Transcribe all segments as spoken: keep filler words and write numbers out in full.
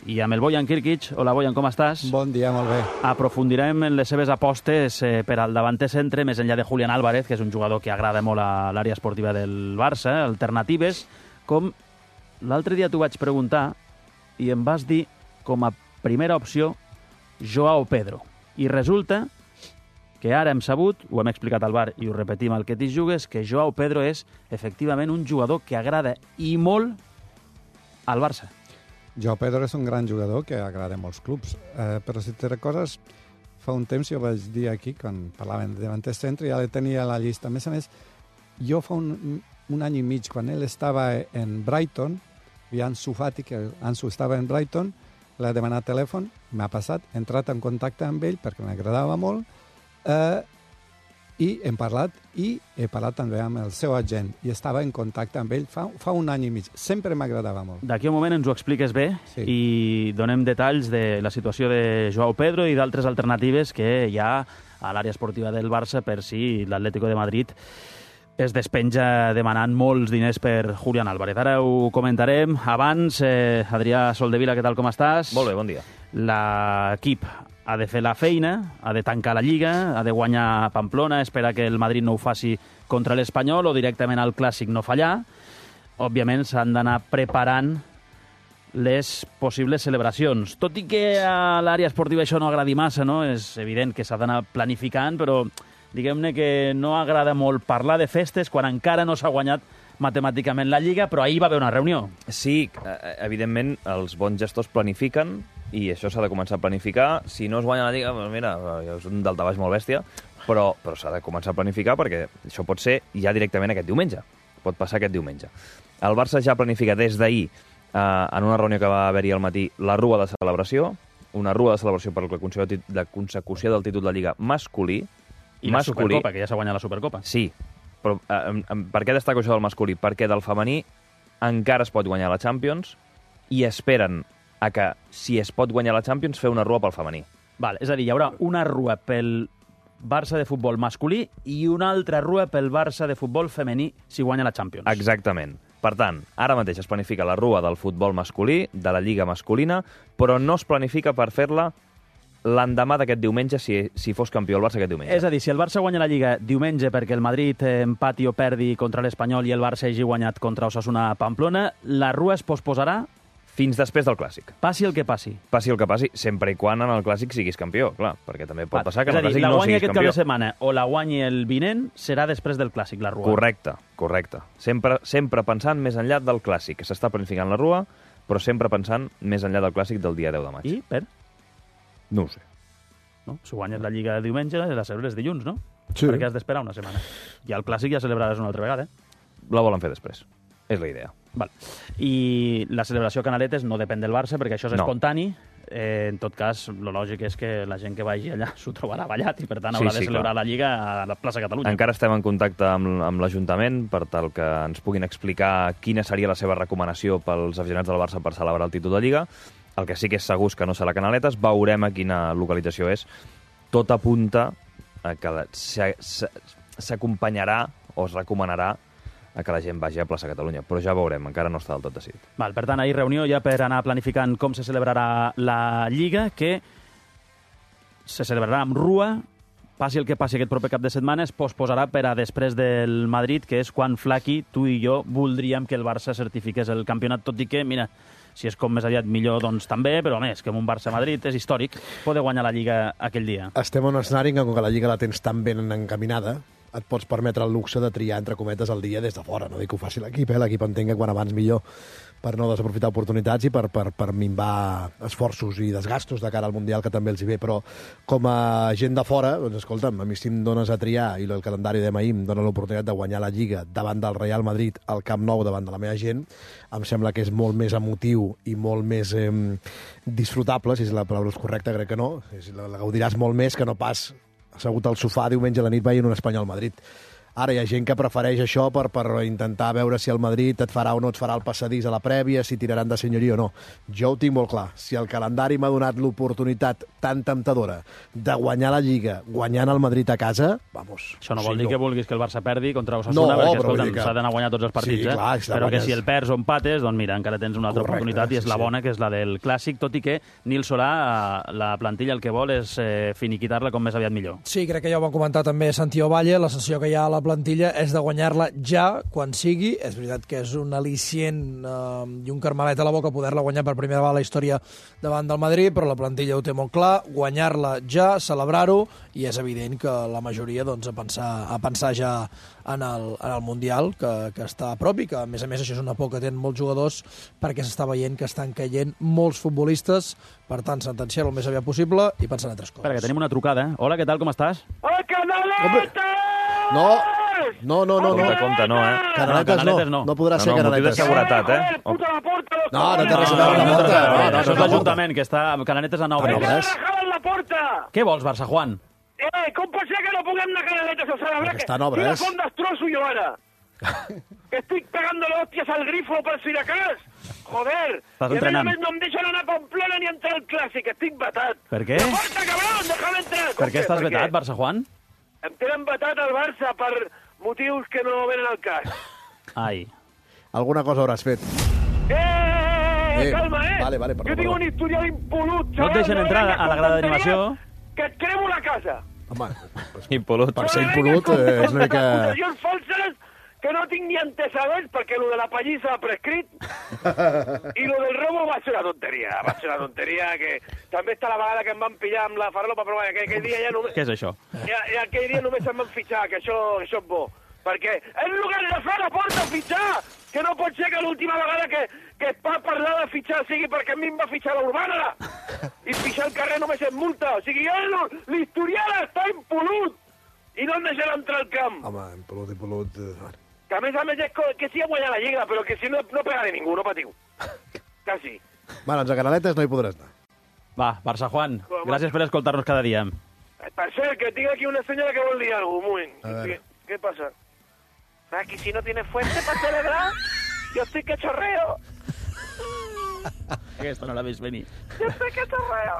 i amb el Bojan Kirkic. Hola, Bojan, com estàs? Bon dia, molt bé. Aprofundirem en les seves apostes eh, per al davanter centre, més enllà de Julián Álvarez, que és un jugador que agrada molt a l'àrea esportiva del Barça, alternatives, com l'altre dia t'ho vaig preguntar i em vas dir com a primera opció Joao Pedro. I resulta que ara hem sabut, ho hem explicat al bar i ho repetim al que t'hi jugues, que Joao Pedro és efectivament un jugador que agrada i molt al Barça. Joao Pedro és un gran jugador que agrada a molts clubs, eh, però si te recordes, fa un temps jo vaig dir aquí, quan parlaven de davanter centre, ja le tenia a la llista. A més a més, jo fa un, un any i mig, quan ell estava en Brighton, i Ansu Fati, que Ansu estava en Brighton, l'he demanat telèfon, m'ha passat, he entrat en contacte amb ell perquè m'agradava molt, eh, i hem parlat, i he parlat també amb el seu agent, i estava en contacte amb ell fa, fa un any i mig. Sempre m'agradava molt. D'aquí un moment ens ho expliques bé sí. i donem detalls de la situació de Joao Pedro i d'altres alternatives que hi ha a l'àrea esportiva del Barça per si l'Atlético de Madrid es despenja demanant molts diners per Julián Álvarez. Ara ho comentarem. Abans, eh, Adrià Soldevila, què tal, com estàs? Molt bé, bon dia. L'equip ha de fer la feina, ha de tancar la Lliga, ha de guanyar Pamplona, espera que el Madrid no ho faci contra l'Espanyol o directament al Clàssic no fallar. Òbviament s'han d'anar preparant les possibles celebracions. Tot i que a l'àrea esportiva això no agradi massa, no? És evident que s'ha d'anar planificant, però diguem-ne que no agrada molt parlar de festes quan encara no s'ha guanyat matemàticament la Lliga, però ahir va haver una reunió. Sí, evidentment els bons gestors planifiquen i això s'ha de començar a planificar. Si no es guanya la Lliga, doncs mira, és un daltabaix molt bèstia, però, però s'ha de començar a planificar perquè això pot ser ja directament aquest diumenge. Pot passar aquest diumenge. El Barça ja planifica des d'ahir, eh, en una reunió que va haver-hi al matí, la rua de celebració, una rua de celebració per la consecució del títol de Lliga masculí. I la masculí. Supercopa, que ja s'ha guanyat la Supercopa. Sí, però eh, per què destaco això del masculí? Perquè del femení encara es pot guanyar la Champions i esperen a que, si es pot guanyar la Champions, fer una rua pel femení. Val, és a dir, hi haurà una rua pel Barça de futbol masculí i una altra rua pel Barça de futbol femení si guanya la Champions. Exactament. Per tant, ara mateix es planifica la rua del futbol masculí, de la Lliga masculina, però no es planifica per fer-la l'endemà d'aquest diumenge, si, si fos campió el Barça aquest diumenge. És a dir, si el Barça guanya la Lliga diumenge perquè el Madrid empati o perdi contra l'Espanyol i el Barça hagi guanyat contra Osasuna a Pamplona, la rua es posposarà fins després del Clàssic. Passi el que passi. Passi el que passi, sempre i quan en el Clàssic siguis campió, clar, perquè també pot passar que en el Clàssic no siguis campió. És a dir, la guanya aquest cap de setmana o la guanyi el vinent serà després del Clàssic, la rua. Correcte, correcte. Sempre, sempre pensant més enllà del Clàssic. S'està planificant la rua, però sempre pensant més enllà del Clàssic del dia deu de maig. I per? No ho sé. No? Si guanyes la Lliga de diumenge, la celebres dilluns, no? Sí. Perquè has d'esperar una setmana. I el Clàssic ja celebraràs una altra vegada. La volen fer després. És la idea. Val. I la celebració a Canaletes no depèn del Barça, perquè això és no. espontani. Eh, en tot cas, el lògic és que la gent que vagi allà s'ho trobarà ballat i, per tant, haurà sí, sí, de celebrar clar. la Lliga a la plaça Catalunya. Encara estem en contacte amb, amb l'Ajuntament per tal que ens puguin explicar quina seria la seva recomanació pels aficionats del Barça per celebrar el títol de Lliga. El que sí que és segur és que no serà Canaletes. Veurem a quina localització és. Tot apunta a que s'acompanyarà o es recomanarà a que la gent vagi a plaça Catalunya, però ja veurem, encara no està del tot decidit. Val, per tant, ahir reunió ja per anar planificant com se celebrarà la Lliga, que se celebrarà amb rua, passi el que passi aquest proper cap de setmana, es posposarà per a després del Madrid, que és quan, Flaqui, tu i jo voldríem que el Barça certifiqués el campionat, tot i que, mira, si és com més aviat millor, doncs també, però a més, que en un Barça-Madrid és històric poder guanyar la Lliga aquell dia. Estem en un escenari en què la Lliga la tens tan ben encaminada, et pots permetre el luxe de triar, entre cometes, el dia des de fora. No dic que ho faci l'equip, eh? L'equip entenga quan abans millor per no desaprofitar oportunitats i per, per, per minvar esforços i desgastos de cara al Mundial, que també els hi ve. Però com a gent de fora, doncs escolta'm, a mi si em dones a triar i el calendari de Mahim em dona l'oportunitat de guanyar la Lliga davant del Real Madrid al Camp Nou, davant de la meva gent, em sembla que és molt més emotiu i molt més eh, disfrutable, si la paraula és correcta, crec que no. La, la gaudiràs molt més que no pas assegut al sofà diumenge a la nit veient un Espanyol-Madrid. Ara hi ha gent que prefereix això per, per intentar veure si el Madrid et farà o no et farà el passadís a la prèvia, si tiraran de senyoria o no. Jo ho tinc molt clar. Si el calendari m'ha donat l'oportunitat tan temptadora de guanyar la Lliga guanyant el Madrid a casa, vamos. Això no sí, vol dir no. que vulguis que el Barça perdi contra Osasuna, No, perquè, però escolta'm, que... s'ha d'anar a guanyar tots els partits, sí, eh? clar, si Però que guanyes... si el perds o empates, doncs mira, encara tens una altra Correcte, oportunitat, i és sí, la sí. bona, que és la del Clàssic, tot i que Nil Solà, la plantilla, el que vol és eh, finiquitar-la com més aviat millor. Sí, crec que ja ho va comentar també Santi Ovalle, la sessió que hi ha a la plantilla és de guanyar-la ja, quan sigui. És veritat que és un al·licient eh, i un carmelet a la boca poder-la guanyar per primera vegada a la història davant del Madrid, però la plantilla ho té molt clar, guanyar-la ja, celebrar-ho, i és evident que la majoria doncs, a, pensar, a pensar ja en el, en el Mundial, que, que està a prop, i que a més a més això és una por que tenen molts jugadors, perquè s'està veient que estan caient molts futbolistes. Per tant, sentenciar-ho el més aviat possible i pensar en altres coses. Espera, que tenim una trucada. Hola, què tal, com estàs? ¡El Canaletes! No, no, no, no. Compte, no. compte, no, eh? Canaletes no. Canaletes no. No podrà No, ser no, motiu de Canaletes. seguretat, eh? Joder, puta la porta, los No, no té cabrones. res a veure amb la porta. No, no, Això és no, l'Ajuntament, que està amb Cananetes a nou. Però ¡Que res. me rajaban la porta! Què vols, Barça, Juan? Eh, com pot ser que no puguem anar a Canaletes a celebrar? Perquè està en obres. Quina font destrozo jo ara? Que estic pegándole hostias al grifo per si de cas? Joder! Estàs I a entrenant. més a més no em deixen anar a Pamplona ni entrar al Clàssic, estic vetat. Per què? La porta, cabrón, déjame entrar! Per què estàs vetat, Perquè Barça, Juan? em tenen vetat al Barça per motius que no venen al cas. Ai. Alguna cosa hauràs fet. Eh, eh, Eh, calma, eh? vale, vale, perdó, jo tinc perdó. un historial impolut, No et xaval, deixen entrar vengues a la con grada tonteries, d'animació? Que et cremo la casa. Home, Impolut. per ser No impolut vengues con eh, és una mica... acusacions falses que no tinc ni antecedents, perquè lo de la pallissa ha prescrit, i lo del robo va ser una tonteria, va ser una tonteria que també està la vegada que em van pillar amb la farlopa, però vaja, que aquell dia ja només, Què és això? ja, ja aquell dia només em van fitxar, que això, això és bo, perquè en lugar de fer la porta a fitxar, que no pot ser que l'última vegada que, que es va parlar de fitxar sigui perquè a mi em va fitxar la Urbana, i fitxar al carrer només és multa, o sigui, jo, l'historial està impolut, i no em deixen entrar al camp. Home, impolut, impolut... eh, bueno. Que a més a més és co- que sí a guanyar la Lliga, però que si no, no pegaré ningú, no patiu. Quasi. Bueno, doncs a Canaletes no hi podràs anar. Va, Barça, Juan, gràcies per escoltar-nos cada dia. Per cert, que tinc aquí una senyora que vol dir alguna cosa, un moment. A ver. ¿Qué, ¿Qué pasa? Aquí si no tienes fuerte para celebrar, yo estoy que chorreo. Aquesta no la veig venir. Yo estoy que chorreo.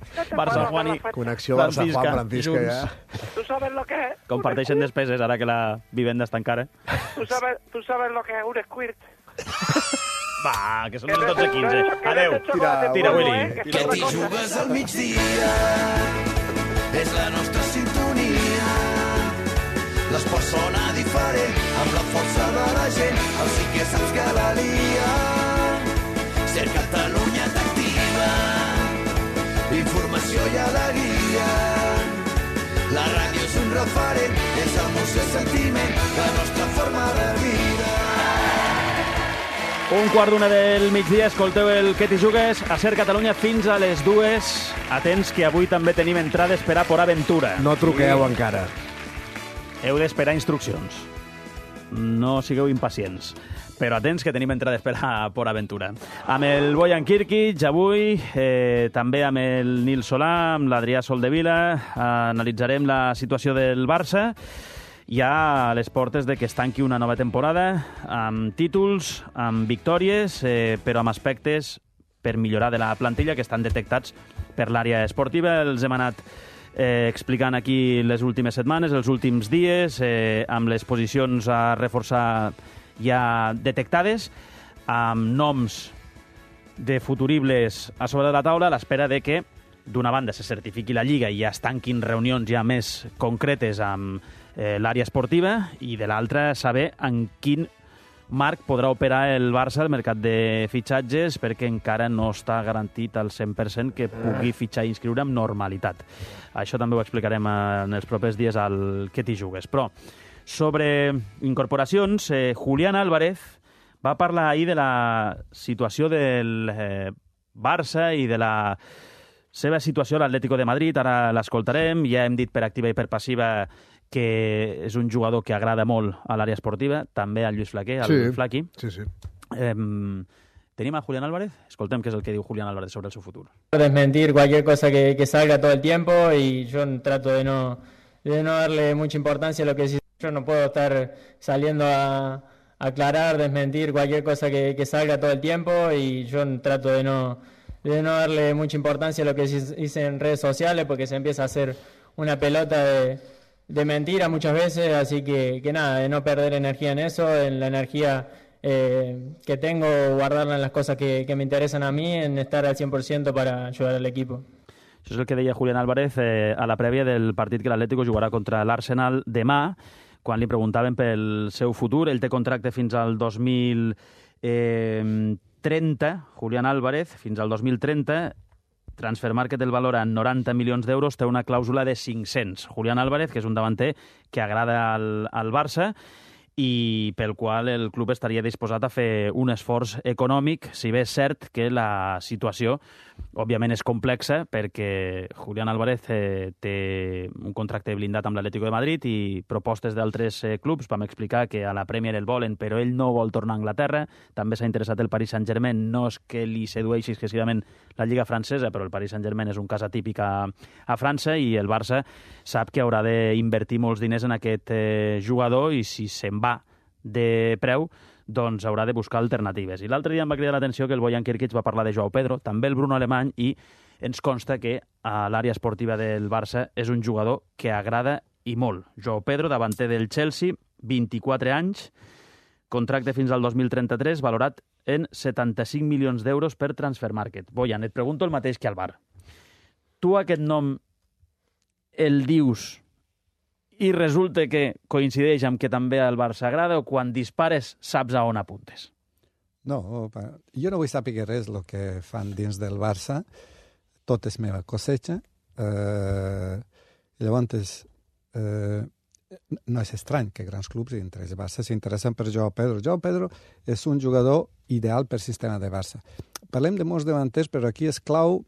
¿Qué te Barça, pasa, Juan i- Rafa? Connexió Barça-Juan Francisca, ja. ¿Tú sabes lo que es? Comparteixen despeses ara que la vivenda està encara. ¿Tú sabes, ¿Tú sabes lo que es un squirt? Va, que són Que les no- dotze quinze. que no- que no Adéu. te chocolate Tira, polvo, Willy. eh, que Tira. es Que otra t'hi cosa. jugues al migdia és la nostra sintonia. L'esport sona diferent amb la força de la gent. El sí que saps que la lia. Ser Catalunya t'activa. Informació i alegria. La ràdio és un referent, és emoció i sentiment, la nostra forma de vida. Un quart d'una del migdia, escolteu el Que t'hi jugues a Ser Catalunya fins a les dues. Atents que avui també tenim entrades per a Por Aventura. No truqueu encara. Heu d'esperar instruccions. No sigueu impacients. Però atents que tenim entrades per a Por Aventura. Amb el Bojan Kirkic, avui, eh, també amb el Nil Solà, amb l'Adrià Soldevila, eh, analitzarem la situació del Barça, ja a les portes de que es tanqui una nova temporada, amb títols, amb victòries, eh, però amb aspectes per millorar de la plantilla que estan detectats per l'àrea esportiva. Els hem anat eh, explicant aquí les últimes setmanes, els últims dies, eh, amb les posicions a reforçar ja detectades, amb noms de futuribles a sobre de la taula, a l'espera de que, d'una banda, se certifiqui la Lliga i ja es tanquin reunions ja més concretes amb eh, l'àrea esportiva, i de l'altra, saber en quin marc podrà operar el Barça al mercat de fitxatges, perquè encara no està garantit al cent per cent que pugui fitxar i inscriure amb normalitat. Això també ho explicarem en els propers dies al Que t'hi jugues. Però sobre incorporacions, eh, Julián Álvarez va parlar ahir de la situació del eh, Barça i de la seva situació a l'Atlético de Madrid. Ara l'escoltarem. Ja hem dit per activa i per passiva que és un jugador que agrada molt a l'àrea esportiva, també al Lluís Flaquer, al Sí. Flaqui. Sí, sí. Eh, tenim a Julián Álvarez? Escoltem què és el que diu Julián Álvarez sobre el seu futur. Desmentir cualquier cosa que, que salga todo el tiempo y yo trato de no, de no darle mucha importancia a lo que se Yo no puedo estar saliendo a aclarar, desmentir cualquier cosa que, que salga todo el tiempo, y yo trato de no, de no darle mucha importancia a lo que hice en redes sociales, porque se empieza a hacer una pelota de, de mentira muchas veces, así que, que nada, de no perder energía en eso, en la energía eh, que tengo, guardarla en las cosas que, que me interesan a mí, en estar al cien por ciento para ayudar al equipo. Això és el que deia Julián Álvarez eh, a la prèvia del partit que l'Atlético jugarà contra l'Arsenal demà, quan li preguntaven pel seu futur. Ell té contracte fins al dos mil trenta, Julián Álvarez, fins al dos mil trenta. Transfermarket el valora en noranta milions d'euros, té una clàusula de cinc-cents. Julián Álvarez, que és un davanter que agrada al, al Barça i pel qual el club estaria disposat a fer un esforç econòmic, si bé és cert que la situació, òbviament, és complexa, perquè Julián Álvarez eh, té un contracte blindat amb l'Atlético de Madrid i propostes d'altres eh, clubs. Vam explicar que a la Premier el volen, però ell no vol tornar a Anglaterra. També s'ha interessat el Paris Saint-Germain. No és que li sedueixi excessivament la Lliga francesa, però el Paris Saint-Germain és un cas atípic a, a França, i el Barça sap que haurà d'invertir molts diners en aquest eh, jugador, i si se'n va de preu, doncs haurà de buscar alternatives. I l'altre dia em va cridar l'atenció que el Bojan Kirkic va parlar de Joao Pedro, també el Bruno Alemany, i ens consta que a l'àrea esportiva del Barça és un jugador que agrada i molt. Joao Pedro, davanter del Chelsea, vint-i-quatre anys, contracte fins al dos mil trenta-tres, valorat en setanta-cinc milions d'euros per Transfermarket. Bojan, et pregunto el mateix que al bar. Tu aquest nom el dius i resulta que coincideix amb que també al Barça agrada, o quan dispares saps a on apuntes? No, jo no vull saber res el que fan dins del Barça. Tot és meva cosecha. Eh, llavors, eh, no és estrany que grans clubs dintre el Barça s'interessen per Joao Pedro. Joao Pedro és un jugador ideal per sistema de Barça. Parlem de molts davanters, però aquí és clau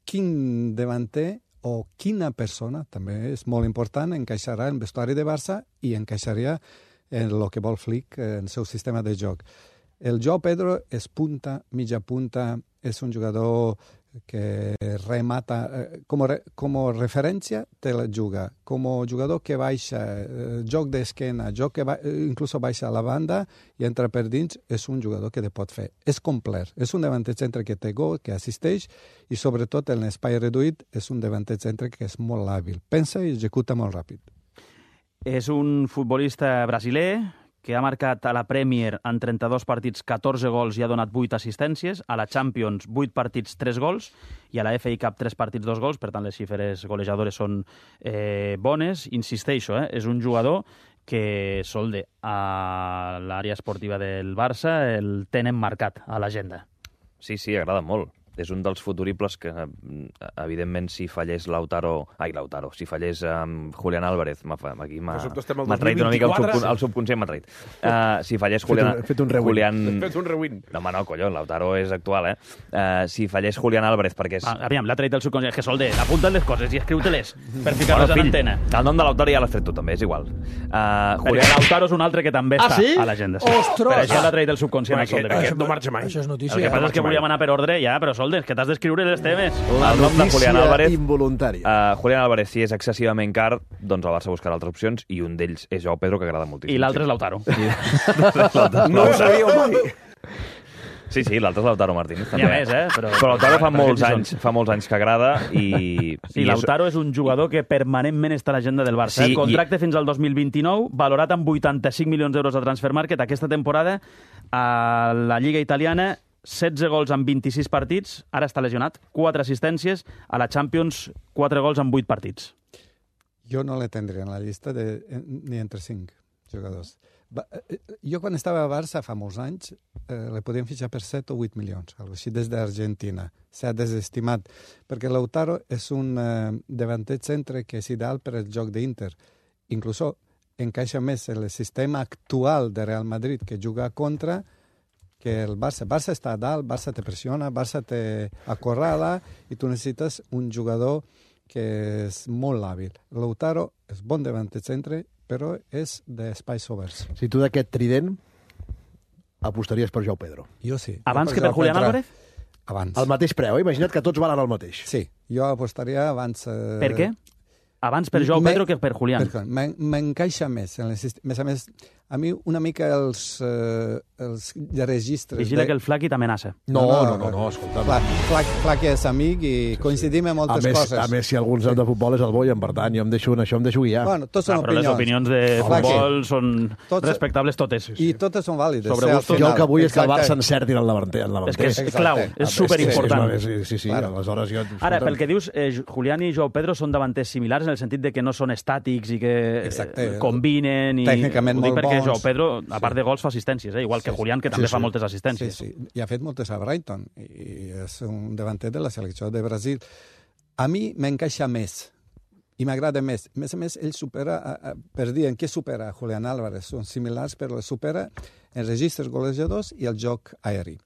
quin davanter o quina persona, també és molt important, encaixarà en el vestuari de Barça i encaixaria en el que vol Flick, en el seu sistema de joc. El Joao Pedro és punta, mitja punta, és un jugador que remata, eh, com, a, com a referència te la juga, com a jugador que baixa, eh, joc d'esquena, joc que va, inclús baixa a la banda i entra per dins, és un jugador que te pot fer. És complet, és un davanter centre que té gol, que assisteix, i sobretot en l'espai reduït és un davanter centre que és molt hàbil. Pensa i executa molt ràpid. És un futbolista brasiler que ha marcat a la Premier en trenta-dos partits catorze gols i ha donat vuit assistències, a la Champions vuit partits tres gols, i a la F A Cup tres partits dos gols, per tant les xifres golejadores són eh, bones. Insisteixo, eh, és un jugador que solde a l'àrea esportiva del Barça el tenen marcat a l'agenda. Sí, sí, agrada molt. És un dels futuribles que, evidentment, si fallés Lautaro... Ai, Lautaro, si fallés um, Julián Álvarez, aquí m'ha traït una mica el, subcon el subconscient, m'ha traït. Uh, si fallés Julián... Fet un rewind. Julián... Fet un rewind. No, home, no, collons, Lautaro és actual, eh? Uh, si fallés Julián Álvarez, perquè és... Ah, aviam, l'ha traït el subconscient. És que, Solde, apunta't les coses i escriu-te-les per ficar-les bueno, a l'antena. El nom de Lautaro ja l'has tret tu, també, és igual. Uh, Julián... Perquè Lautaro és un altre que també ah, està sí? a l'agenda. Sí. Ostres! Per això l'ha traït el subconscient a Solde. Aquest no marxa mai. Això és notícia. El que passa és que volíem anar per ordre, ja, però Solde, és que t'has d'escriure els temes. La el nom de Julián Álvarez, involuntària. Uh, Julián Álvarez, si és excessivament car, doncs el Barça buscarà altres opcions, i un d'ells és Joao Pedro, que agrada moltíssim. I l'altre és Lautaro. No ho sabíeu mai. Sí, sí, l'altre és Lautaro Martínez. N'hi ha més, eh? Però, però Lautaro fa molts anys, fa molts anys que agrada, i... Sí, i Lautaro és un jugador que permanentment està a l'agenda del Barça. Sí, contracte i... fins al dos mil vint-i-nou, valorat amb vuitanta-cinc milions d'euros a Transfermarket. Aquesta temporada a la Lliga Italiana, setze gols en vint-i-sis partits, ara està lesionat, quatre assistències, a la Champions, quatre gols en vuit partits. Jo no le tindria en la llista de, ni entre cinc jugadors. Va, jo quan estava a Barça fa molts anys eh, le podíem fitxar per set o vuit milions, algo així des d'Argentina. S'ha desestimat, perquè Lautaro és un eh, davanter centre que és ideal per al joc d'Inter. Inclús encaixa més en el sistema actual de Real Madrid, que juga contra, que el Barça. Barça està a dalt, Barça te pressiona, Barça te acorrala, i tu necessites un jugador que és molt hàbil. Lautaro és bon davanter centre, però és d'espais oberts. Si tu d'aquest trident apostaries per Joao Pedro. Jo sí. Abans jo per que per Julián Álvarez? Abans. Al mateix preu, eh? Imagina't que tots valen el mateix. Sí, jo apostaria abans... Eh... Per què? abans per Joao Pedro que per Julián. M'encaixa més. A més a més, a mi una mica els, eh, els registres... Vigila de... que el Flaqui t'amenaça. No, no, no, no, escolta'm. Flaqui és amic i coincidim en moltes a més, coses. A més, si algú sap de futbol és el Boyan, per tant, jo em deixo, això em deixo guiar. Bueno, tots són ah, però opinions. les opinions de futbol són tots, respectables totes. I totes són vàlides. Sobre gustos. Jo el que vull és que el Barça encerti en el davanter. És que és clau, és superimportant. Sí, sí, sí. Aleshores jo... Ara, pel que dius, eh, Julián i Joao Pedro són davanters similars en el sentit de que no són estàtics i que eh, combinen. I, tècnicament molt bons. Perquè Joao Pedro, a part de gols, fa assistències, eh? igual que Julián, que també fa moltes assistències. Sí, sí. I ha fet moltes a Brighton. I és un davanter de la selecció de Brasil. A mi m'encaixa més i m'agrada més. A més a més, ell supera, per dir en què supera Julián Álvarez, són similars, però supera en registres golejadors i el joc aeri.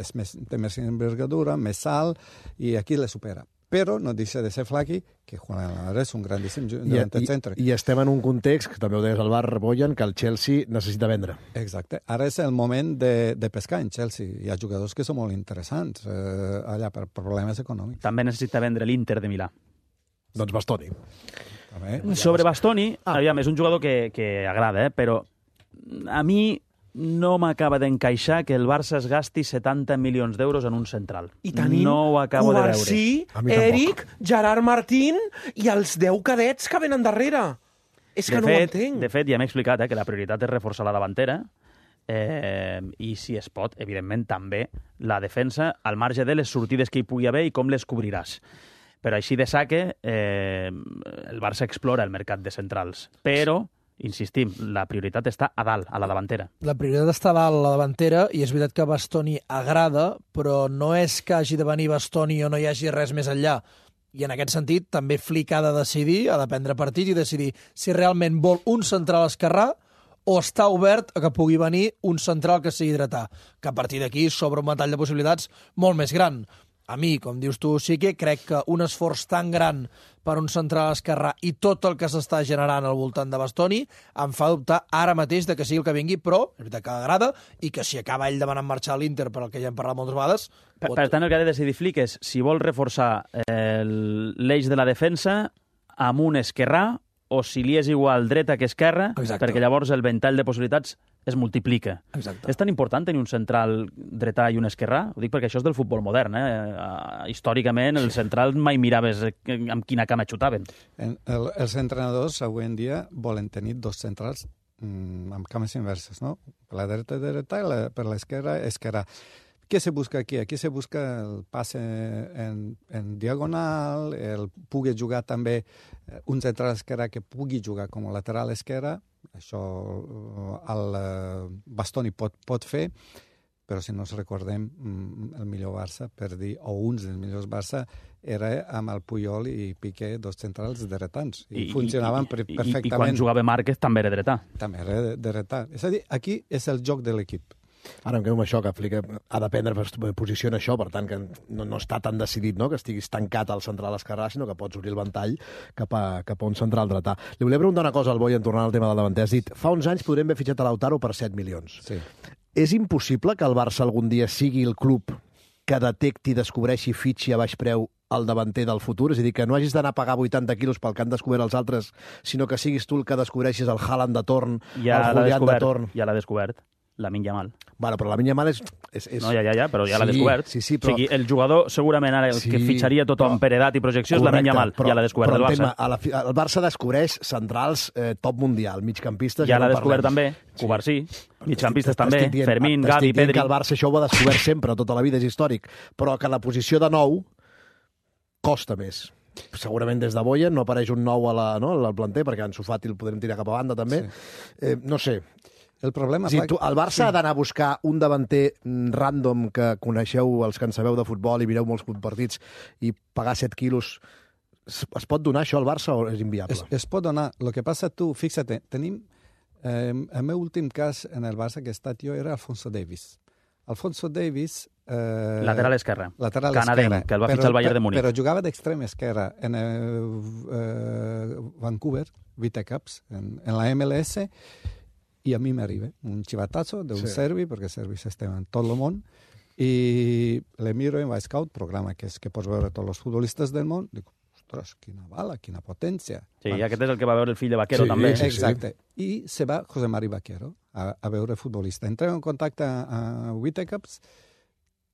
És més, té més envergadura, més alt, i aquí la supera. Però no deixa de ser Flaqui, que Julián Álvarez és un grandíssim davanter centre. I estem en un context, que també ho deies al bar, Boyan, que el Chelsea necessita vendre. Exacte. Ara és el moment de, de pescar en Chelsea. Hi ha jugadors que són molt interessants eh, allà per problemes econòmics. També necessita vendre l'Inter de Milà. Doncs Bastoni. També. Sobre Bastoni, ah. aviam, és un jugador que, que agrada, eh? Però a mi no m'acaba d'encaixar que el Barça es gasti setanta milions d'euros en un central. I tenim no ho acabo Cubarsí, de veure. Eric, Gerard Martín i els deu cadets que venen darrere. És que de no fet, ho entenc. De fet, ja m'he explicat eh, que la prioritat és reforçar la davantera eh, i, si es pot, evidentment, també la defensa al marge de les sortides que hi pugui haver i com les cobriràs. Però així de saque, eh, el Barça explora el mercat de centrals. Però... insistim, la prioritat està a dalt, a la davantera. La prioritat està a dalt, a la davantera, i és veritat que Bastoni agrada, però no és que hagi de venir Bastoni o no hi hagi res més enllà. I en aquest sentit, també Flick ha de decidir, ha de prendre partit i decidir si realment vol un central esquerrà o està obert a que pugui venir un central que sigui dretà, que a partir d'aquí s'obre un ventall de possibilitats molt més gran. A mi, com dius tu, sí que crec que un esforç tan gran per un central esquerrà i tot el que s'està generant al voltant de Bastoni em fa dubtar ara mateix de que sigui el que vingui, però és veritat que agrada i que si acaba ell demanant marxar a l'Inter, per al que ja hem parlat moltes vegades... Per, pot... per tant, el que ha de decidir Flick és si vol reforçar eh, l'eix de la defensa amb un esquerrà o si li és igual dreta que esquerra, Exacte. Perquè llavors el ventall de possibilitats es multiplica. Exacte. És tan important tenir un central dretà i un esquerrà? Ho dic perquè això és del futbol modern. Eh? Històricament, els centrals mai miraves amb quina cama xutaven. El, els entrenadors avui en dia volen tenir dos centrals mm, amb cames inverses, no? Per la dreta, dreta, i la, per l'esquerra, esquerra. Què se busca aquí? Aquí se busca el passe en, en diagonal, el pugui jugar també un central esquerra que pugui jugar com a lateral esquerra. Això el Bastoni pot, pot fer, però si no ens recordem, el millor Barça, per dir, o uns dels millors Barça, era amb el Puyol i Piqué, dos centrals dretans. I, I funcionaven i, i, perfectament. I quan jugava Márquez també era dretà. També era dretà. És a dir, aquí és el joc de l'equip. Ara em quedo amb això, que Flick ha de prendre posició en això, per tant, que no, no està tan decidit, no?, que estiguis tancat al central esquerrà, sinó que pots obrir el ventall cap a, cap a un central dretà. Li volia preguntar una cosa al Boi, en tornant al tema del davanter. Has dit, fa uns anys podrem haver fitxat a Lautaro per set milions. Sí. És impossible que el Barça algun dia sigui el club que detecti, descobreixi, fitxi a baix preu el davanter del futur? És a dir, que no hagis d'anar a pagar vuitanta quilos pel que han descobert els altres, sinó que siguis tu el que descobreixis el Haaland de torn, ja el Julián de torn. Ja l'ha descobert. Lamine Yamal. Bueno, però Lamine Yamal és, és, és... No, ja, ja, ja, però ja sí, l'ha descobert. Sí, sí, però... O sigui, el jugador segurament ara sí, que fitxaria tothom però... per edat i projecció és Lamine Yamal. Ja l'ha descobert el Barça. A la, el Barça descobreix centrals eh, top mundial, migcampistes... Ja no l'ha descobert també, Cubarsí, migcampistes també, dient, Fermín, Gavi, Pedri... que el Barça això ho ha descobert sempre, tota la vida és històric, però que la posició de nou costa més. Segurament des de Boyan no apareix un nou a la, no, al planter, perquè en Sofati el podrem tirar cap a banda també. Sí. Eh, no sé... El problema... Sí, tu, el Barça sí. ha d'anar a buscar un davanter random que coneixeu, els que en sabeu de futbol i mireu molts partits, i pagar set quilos. Es, es pot donar això al Barça o és inviable? Es, es pot donar. El que passa, tu, fixa't, tenim... Eh, el meu últim cas en el Barça que he estat jo era Alfonso Davies. Alfonso Davies... Eh, lateral esquerra. Lateral canadenc, esquerra. Que el va fitxar el Bayern de Múnich. Però jugava d'extrem esquerra en el, eh, Vancouver, Vitacaps, en, en la M L S, i a mi m'arriba un xivatazo d'un sí. serbi, perquè serbis estem en tot el món, i le miro en MyScout, programa que és que pots veure tots els futbolistes del món, dic, ostres, quina bala, quina potència. Sí, Bueno, i aquest és el que va veure el fill de Vaquero, Sí, també. sí, Exacte. I se va José Mari Vaquero a, a veure futbolista. Entra en contacte a Whittaker's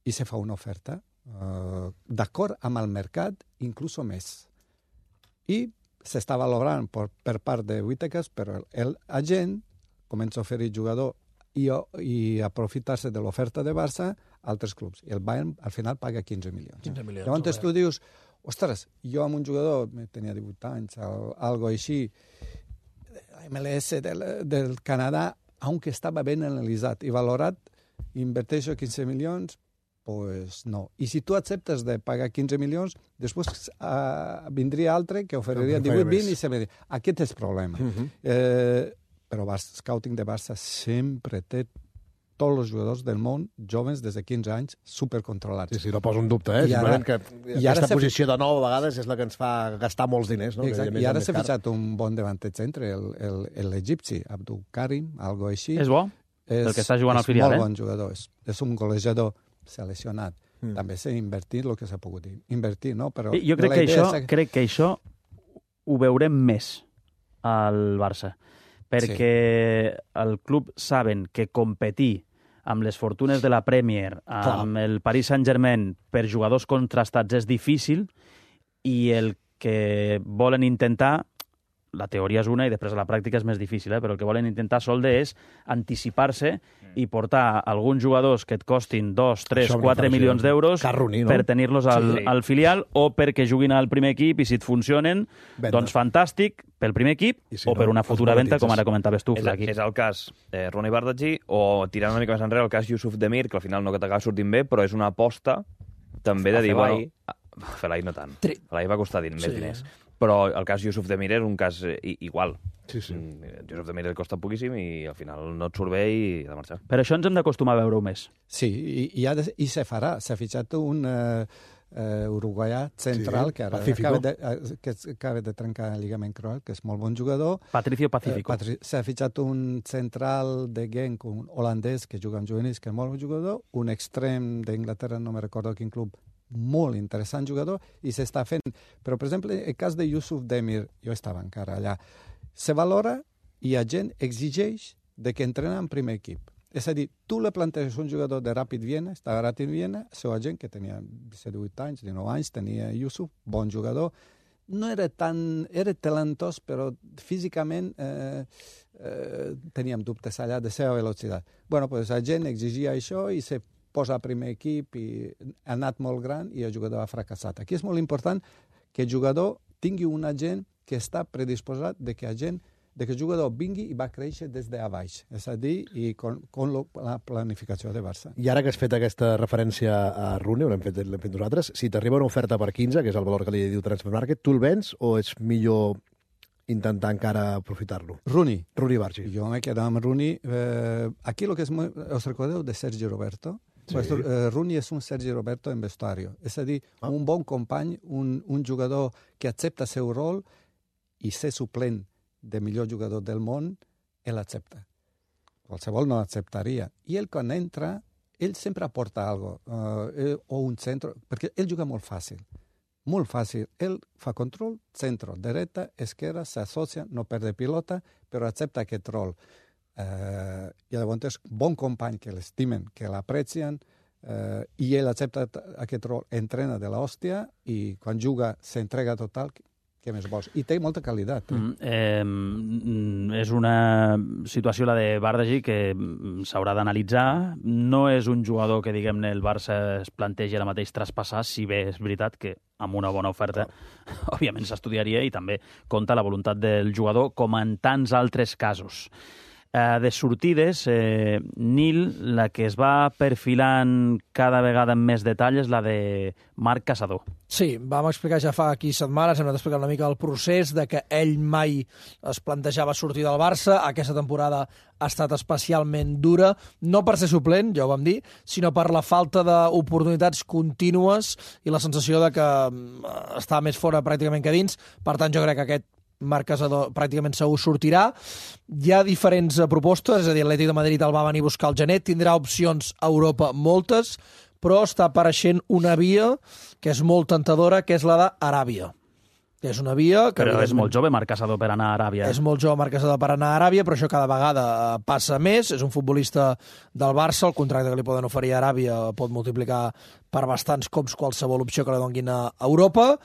i se fa una oferta uh, d'acord amb el mercat, inclús més. I s'està valorant per, per part de Whittaker's, però l'agent comença a oferir jugador i, i aprofitar-se de l'oferta de Barça a altres clubs. I el Bayern, al final, paga quinze milions. quinze milions. Llavors tu dius, ostres, jo amb un jugador, tenia divuit anys, o algo així, M L S del, del Canadà, aunque estava ben analitzat i valorat, inverteixo quinze milions, pues no. I si tu acceptes de pagar quinze milions, després uh, vindria altre que oferiria divuit vint i se me diu, aquest és el problema. Uh -huh. eh, però el scouting de Barça sempre té tots els jugadors del món, joves des de quinze anys, supercontrolats. Sí, sí, no poso un dubte, eh? I ara- Simplement que i ara aquesta s'ha posició de nou, a vegades, és la que ens fa gastar molts diners, no? Exacte. Que, I ara més s'ha car. fitxat un bon davanter centre, l'egipci, Abdul Karim, algo així. És bo? És, El que està jugant al filial, és eh? molt bon jugador, és, és un golejador seleccionat. Mm. També s'ha invertit el que s'ha pogut dir. Invertir, no? Però Jo crec la que, idea això, és... crec que això ho veurem més al Barça, perquè sí. el club saben que competir amb les fortunes de la Premier, amb Clar. el Paris Saint-Germain, per jugadors contrastats és difícil, i el que volen intentar, la teoria és una i després a la pràctica és més difícil, eh? però el que volen intentar, Solde, és anticipar-se i portar alguns jugadors que et costin dos, tres, quatre milions d'euros Carruni, no? per tenir-los al, Sí. al filial, o perquè juguin al primer equip i si et funcionen, Venda. doncs fantàstic, pel primer equip I si o no, per una els futura venda, monetitzes. com ara comentaves tu, És, Flaqui. és el cas eh, Ronny Bardghji, o tirant una mica més enrere el cas Yusuf Demir, que al final no que t'acaba sortint bé, però és una aposta també de A dir, Fellaini. bueno, Fellaini no tant. Tri- Fellaini va costar din- més Sí. diners. Però el cas Yusuf Demir és un cas eh, i- igual. Sí, sí. Mm, Yusuf Demir et costa poquíssim i al final no et surt bé i ha de marxar. Per això ens hem d'acostumar a veure-ho més. Sí, i, i, ha de, i se farà. S'ha fitxat un uh, uh, uruguaià central Sí, que ara Pacífico. acaba de, uh, que acaba de trencar el lligament cruel, que és molt bon jugador. Patricio Pacífico. Eh, Patri- S'ha fitxat un central de Genk, un holandès que juga amb juvenils, que és molt bon jugador, un extrem d'Inglaterra, no me recordo quin club, molt interessant jugador, i s'està fent. Però, per exemple, el cas de Yusuf Demir, jo estava encara allà, se valora i la gent exigeix de que entrena en primer equip. És a dir, tu le planteges un jugador de Ràpid Viena, estava a Ràpid Viena, el seu agent, que tenia disset, divuit anys, dinou anys, tenia Yusuf, bon jugador, no era tan... Era talentós, però físicament eh, eh, teníem dubtes allà de la seva velocitat. Bueno, pues la gent exigia això i se posa a primer equip i ha anat molt gran i el jugador ha fracassat. Aquí és molt important que el jugador tingui un agent que està predisposat de que el gent de que el jugador vingui i va créixer des de a baix, és a dir, i con, con lo, la planificació de Barça. I ara que has fet aquesta referència a Rooney, l'hem fet, l'hem fet nosaltres, si t'arriba una oferta per quinze, que és el valor que li diu Transfer Market, tu el vens o és millor intentar encara aprofitar-lo? Rooney. Rooney Bargi. Jo me quedo amb Rooney. Eh, aquí lo que és molt... Us recordeu de Sergi Roberto? Sí. Pues, eh, Rooney és un Sergi Roberto en vestuario. És a dir, Ah. un bon company, un, un jugador que accepta el seu rol i ser suplent de millor jugador del món, ell accepta. Qualsevol no acceptaria. I ell, quan entra, ell sempre aporta algo, uh, o un centre, perquè ell juga molt fàcil. Molt fàcil. Ell fa control, centro, dreta, esquerra, s'associa, no perde pilota, però accepta aquest rol. Uh, I llavors és bon company que l'estimen, que l'aprecien, uh, i ell accepta aquest rol, entrena de l'hòstia, i quan juga s'entrega total. Què més vols? I té molta qualitat. Eh? Mm, eh, mm, és una situació, la de Bardghji, que mm, s'haurà d'analitzar. No és un jugador que, diguem-ne, el Barça es plantegi ara mateix traspassar, si bé és veritat que amb una bona oferta, òbviament s'estudiaria, i també compta la voluntat del jugador, com en tants altres casos. Uh, de sortides, eh, Nil, la que es va perfilant cada vegada amb més detall és la de Marc Caçador. Sí, vam explicar ja fa aquí setmanes, hem anat explicant una mica el procés de que ell mai es plantejava sortir del Barça. Aquesta temporada ha estat especialment dura, no per ser suplent, ja ho vam dir, sinó per la falta d'oportunitats contínues i la sensació de que està més fora pràcticament que dins. Per tant, jo crec que aquest Marc Caçador pràcticament segur sortirà. Hi ha diferents propostes, és a dir, l'Atlètic de Madrid el va venir a buscar el gener, tindrà opcions a Europa moltes, però està apareixent una via que és molt tentadora, que és la d'Aràbia. És una via... que Però és molt jove Marc Casador per anar a Aràbia. És molt jove Marc Casador per anar a Aràbia, però això cada vegada passa més. És un futbolista del Barça, el contracte que li poden oferir a Aràbia pot multiplicar per bastants cops qualsevol opció que li donguin a Europa,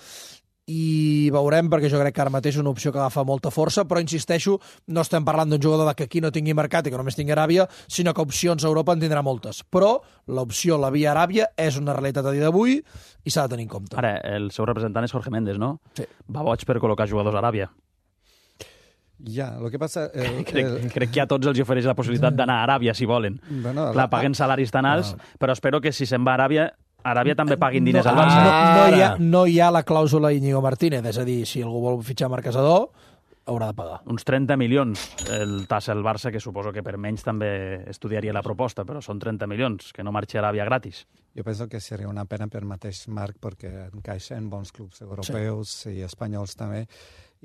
i veurem, perquè jo crec que ara mateix és una opció que agafa molta força, però insisteixo, no estem parlant d'un jugador que aquí no tingui mercat i que només tingui Aràbia, sinó que opcions a Europa en tindrà moltes. Però l'opció, la via Aràbia, és una realitat a dia d'avui i s'ha de tenir en compte. Ara, el seu representant és Jorge Méndez, no? Sí. Va boig per col·locar jugadors a Aràbia. Ja, lo que passa... El, crec, el... crec que a tots els ofereix la possibilitat d'anar a Aràbia, si volen. Bueno, Clar, paguen salaris tan alts, no. però espero que si se'n va a Aràbia, Aràbia també paguin diners no, al Barça. No, no, hi ha, no hi ha la clàusula Íñigo Martínez, és a dir, si algú vol fitxar Marc Casador, haurà de pagar. Uns trenta milions el tassa el Barça, que suposo que per menys també estudiaria la proposta, però són trenta milions, que no marxi a Aràbia gratis. Jo penso que seria una pena per mateix Marc, perquè encaixa en bons clubs europeus sí. i espanyols també,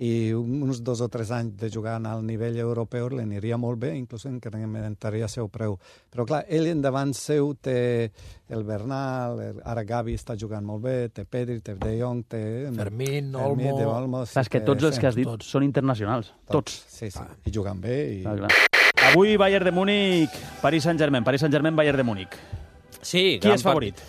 i uns dos o tres anys de jugar al nivell europeu li aniria molt bé, inclús incrementaria el seu preu. Però clar, ell endavant seu té el Bernal, ara Gavi està jugant molt bé, té Pedri, té De Jong, té... Fermín, Olmo... de Olmo sí, és que tots els que has dit tots. Són internacionals, tots. tots. Sí, sí, i jugant bé. I... Clar, clar. Avui Bayern de Múnich, Paris Saint-Germain, Paris Saint-Germain, Bayern de Múnich. Sí, qui és favorit?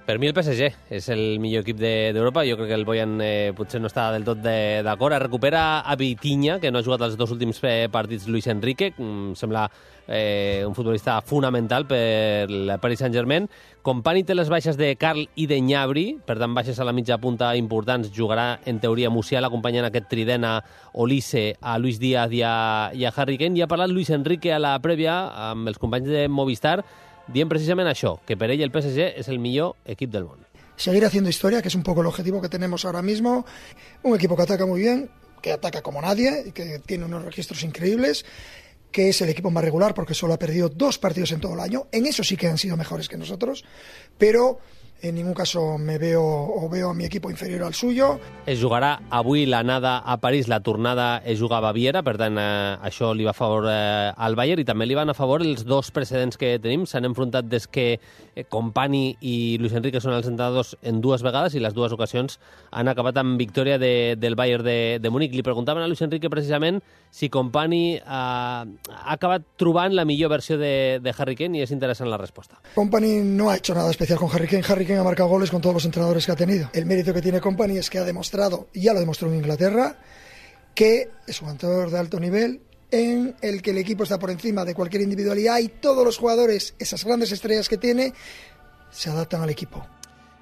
Per mi el P S G és el millor equip d'Europa. De, jo crec que el Bayern eh, potser no està del tot d'acord. Recupera a Vitinha, que no ha jugat els dos últims partits Luis Enrique. Em sembla eh, un futbolista fonamental per el Paris Saint-Germain. Company té les baixes de Carl i de Gnabry, per tant baixes a la mitja punta importants. Jugarà, en teoria, Musiala acompanyant aquest trident a Olise, a Luis Díaz i a, i a Harry Kane. I ha parlat Luis Enrique a la prèvia amb els companys de Movistar, dient precisament això, que per ell el P S G és el millor equip del món. Seguir haciendo historia, que es un poco el objetivo que tenemos ahora mismo. Un equipo que ataca muy bien, que ataca como nadie y que tiene unos registros increíbles, que es el equipo más regular porque solo ha perdido dos partidos en todo el año. En eso sí que han sido mejores que nosotros, pero en ningún caso me veo o veo a mi equipo inferior al suyo. Es jugarà avui l'anada a París, la tornada es juga a Baviera, per tant eh, això li va a favor eh, al Bayern, i també li van a favor els dos precedents que tenim. S'han enfrontat des que eh, Company i Luis Enrique són els entrenadors en dues vegades, i les dues ocasions han acabat amb victòria de, del Bayern de, de Múnich. Li preguntaven a Luis Enrique precisament si Company eh, ha acabat trobant la millor versió de, de Harry Kane, i és interessant la respoesta. Company no ha hecho nada especial con Harry Kane. Harry Kane ha marcado goles con todos los entrenadores que ha tenido. El mérito que tiene Company es que ha demostrado, y ya lo demostró en Inglaterra, que es un entrenador de alto nivel, en el que el equipo está por encima de cualquier individualidad y todos los jugadores, esas grandes estrellas que tiene, se adaptan al equipo.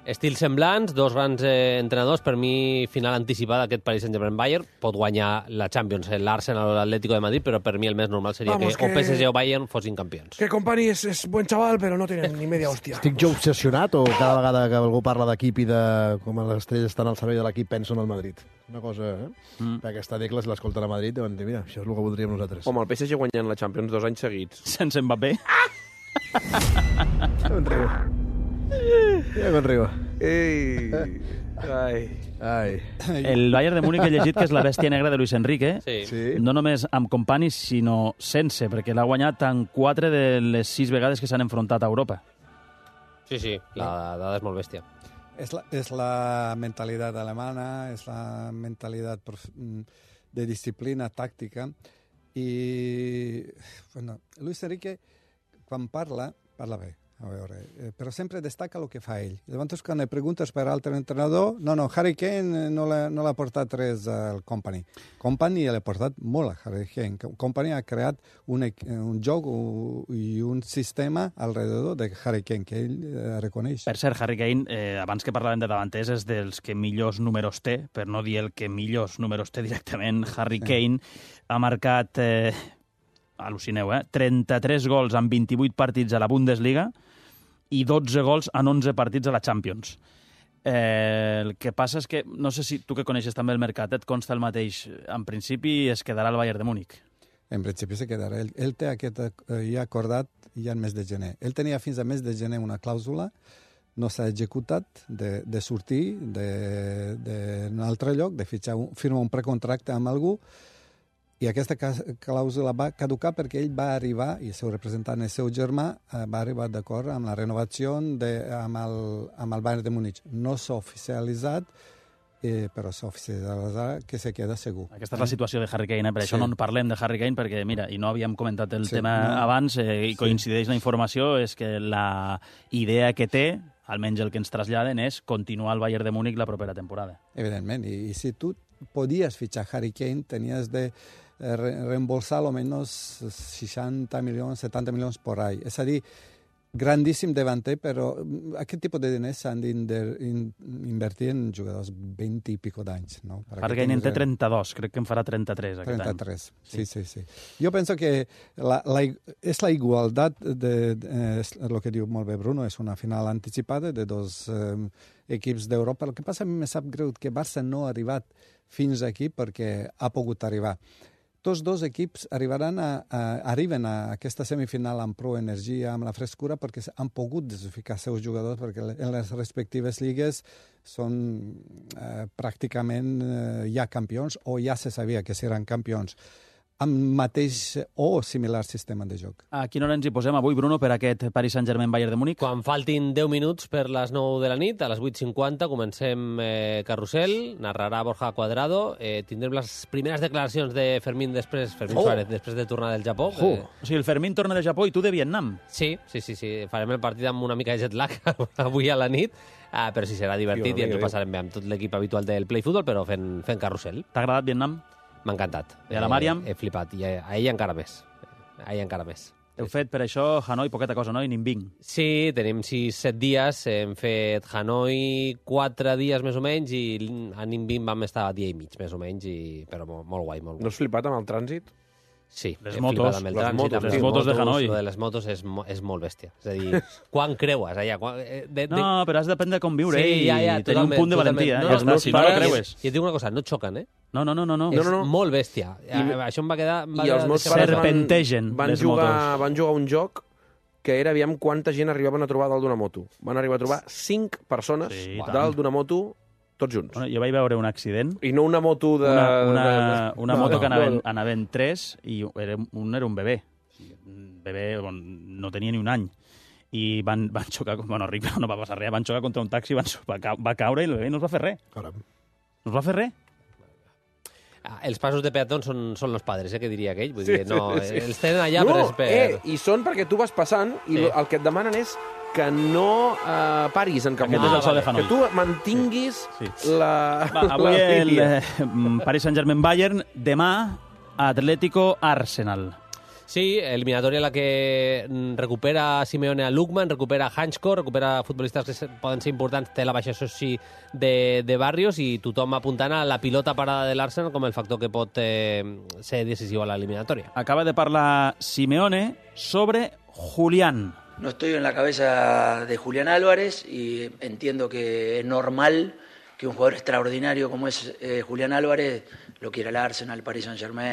Estils semblants, dos grans eh, entrenadors. Per mi, final anticipada aquest Paris Saint-Germain-Bayern. Pot guanyar la Champions, l'Arsenal o l'Atlético de Madrid, però per mi el més normal seria Vamos, que, que o P S G o Bayern fossin campions. Que Company és, és buen chaval, però no tenen ni media hòstia. Estic jo obsessionat, o cada vegada que algú parla d'equip i de com les estrelles estan al servei de l'equip penso en el Madrid? Una cosa, eh? Mm. Perquè aquesta decla, si l'escolten a Madrid, deuen dir, mira, això és el que voldríem nosaltres. Home, el P S G guanyant la Champions dos anys seguits. Sense Mbappé. Com riu. Mira com riu. Ei. Ai. Ai. El Bayern de Múnich he llegit que és la bèstia negra de Luis Enrique. Sí. Sí. No només amb Company, sinó sense, perquè l'ha guanyat en quatre de les sis vegades que s'han enfrontat a Europa. Sí, sí, la dada és molt bèstia. És la, és la mentalitat alemana, és la mentalitat de disciplina tàctica, i bueno, Luis Enrique, quan parla, parla bé, a veure, eh, però sempre destaca el que fa ell. Llavors, quan li preguntes per altre entrenador, no, no, Harry Kane no l'ha no portat res al Company. Company l'ha portat molt a Harry Kane. Company ha creat un, un joc i un sistema alrededor de Harry Kane, que ell eh, reconeix. Per cert, Harry Kane, eh, abans que parlàvem de davanters, és dels que millors números té, per no dir el que millors números té directament. Harry sí. Kane ha marcat, eh, al·lucineu, eh, trenta-tres gols en vint-i-vuit partits a la Bundesliga, i dotze gols en onze partits a la Champions. Eh, el que passa és que, no sé si tu que coneixes també el mercat, et consta el mateix. En principi es quedarà al Bayern de Múnich. En principi se quedarà. Ell, ell té aquest eh, ja acordat ja en mes de gener. Ell tenia fins a mes de gener una clàusula, no s'ha executat, de, de sortir d'un altre lloc, de fitxar un, firmar un precontracte amb algú, i aquesta clàusula va caducar perquè ell va arribar, i el seu representant, el seu germà, va arribar d'acord amb la renovació de, amb, el, amb el Bayern de Múnich. No s'ha oficialitzat eh, però s'oficialitzarà que se queda segur. Aquesta és la situació de Harry Kane, eh? per Sí. això no en parlem de Harry Kane, perquè, mira, i no havíem comentat el Sí, tema no. abans, eh, i Sí. coincideix la informació, és que la idea que té, almenys el que ens traslladen, és continuar al Bayern de Múnich la propera temporada. Evidentment, i, i si tu podies fitxar Harry Kane, tenies de eh, re reembolsar almenys seixanta milions, setanta milions por ahí. És a dir, grandíssim davanter, però aquest tipus de diners s'han d'invertir en jugadors vint i pico d'anys. No? Harry Kane en té trenta-dos, crec que en farà trenta-tres aquest trenta-tres, any. sí, sí, sí. Jo penso que la, la, és la igualtat, de, de, és el que diu molt bé Bruno, és una final anticipada de dos eh, equips d'Europa. El que passa a mi me sap greu que Barça no ha arribat fins aquí perquè ha pogut arribar. Tots dos equips arribaran a, a, arriben a aquesta semifinal amb prou energia, amb la frescura, perquè han pogut desaficar els seus jugadors, perquè en les respectives lligues són eh, pràcticament eh, ja campions, o ja se sabia que seran campions, amb mateix o similar sistema de joc. A quina hora ens hi posem avui, Bruno, per aquest Paris Saint-Germain-Bayern de Múnich? Quan faltin deu minuts per les nou de la nit, a les vuit cinquanta, comencem eh, Carrusel, narrarà Borja Cuadrado, eh, tindrem les primeres declaracions de Fermín després, Fermín Oh! Suárez, després de tornar del Japó. Oh. O sigui, el Fermín torna de Japó i tu de Vietnam. Sí, sí, sí, sí. Farem el partit amb una mica de jet lag avui a la nit, uh, però sí, serà divertit Tio, i ens ho vinga, passarem bé amb tot l'equip habitual del Play Football, però fent, fent carrusel. T'ha agradat Vietnam? M'ha encantat. I a la Màriam? He, he flipat, i a, a ella encara més. A ella encara més. Heu fet per això Hanoi poqueta cosa, no? I Nimbing. Sí, tenim sis set dies, hem fet Hanoi quatre dies més o menys i a Nimbin vam estar dia i mig més o menys, i... però molt, molt guai, molt guai. No has flipat amb el trànsit? Sí, Les he motos, flipat amb el les trànsit, motos, amb les motos de Hanoi. Lo de les motos és, mo- és molt bèstia. És a dir, quan creues allà? Quan, eh, de, de... No, però has d'aprendre com viure sí, i ja, ja, tenir un punt de valentia. No, Ja no, està, si no, no creues. I et dic una cosa, no xoquen, eh? No, no, no, no. no. És no, no. molt bèstia. I, Això em va quedar... Em va I els quedar meus deixar- pares Serpentegen, van, van, les jugar, motos. van jugar un joc que era, aviam, quanta gent arribaven a trobar dalt d'una moto. Van arribar a trobar cinc persones Sí, i tant. dalt d'una moto, tots junts. Bueno, jo vaig veure un accident. I no una moto de... Una, una, de- una no, moto no, que anaven, no. anaven tres i era, un era un bebè. Un bebè bon, no tenia ni un any. I van, van xocar... Bueno, ric, no va passar res. Van xocar contra un taxi, van, va, cau, va caure i el bebè no es va fer res. Caram. No es va fer res. Ah, els passos de peatons són, són los padres, eh, que diria aquell. Vull Sí, dir, no, sí, sí. els tenen allà, no, però és per... eh, i són perquè tu vas passant i Sí. el que et demanen és que no eh, paris en cap Aquest moment. és el so de Hanoi. Que tu mantinguis Sí. la, Va, avui la el línia. eh, Paris Saint-Germain-Bayern, demà Atlético-Arsenal. Sí, eliminatòria en la que mm, recupera Simeone a Lukman, recupera Hanchko, recupera futbolistes que se- poden ser importants, té la baixa, això sí, de, de Barrios, i tothom apuntant a la pilota parada de l'Arsenal com el factor que pot eh, ser decisiu a l'eliminatòria. Acaba de parlar Simeone sobre Julián. No estoy en la cabeza de Julián Álvarez y entiendo que es normal que un jugador extraordinario como es eh, Julián Álvarez lo quiera el Arsenal, el Paris Saint-Germain.